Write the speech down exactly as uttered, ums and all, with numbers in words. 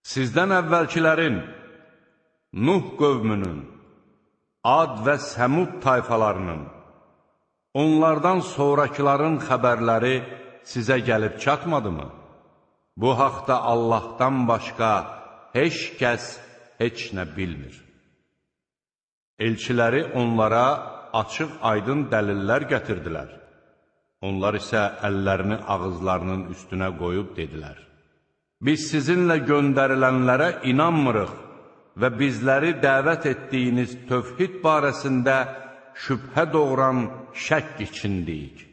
Sizdən əvvəlkilərin, Nuh qövmünün, Ad və Səmud tayfalarının, onlardan sonrakıların xəbərləri sizə gəlib çatmadımı? Bu haqda Allahdan başqa heç kəs heç nə bilmir. Elçiləri onlara açıq aydın dəlillər gətirdilər. Onlar isə əllərini ağızlarının üstünə qoyub dedilər: Biz sizinlə göndərilənlərə inanmırıq və bizləri dəvət etdiyiniz tövhid barəsində şübhə doğuran şəkk içindəyik.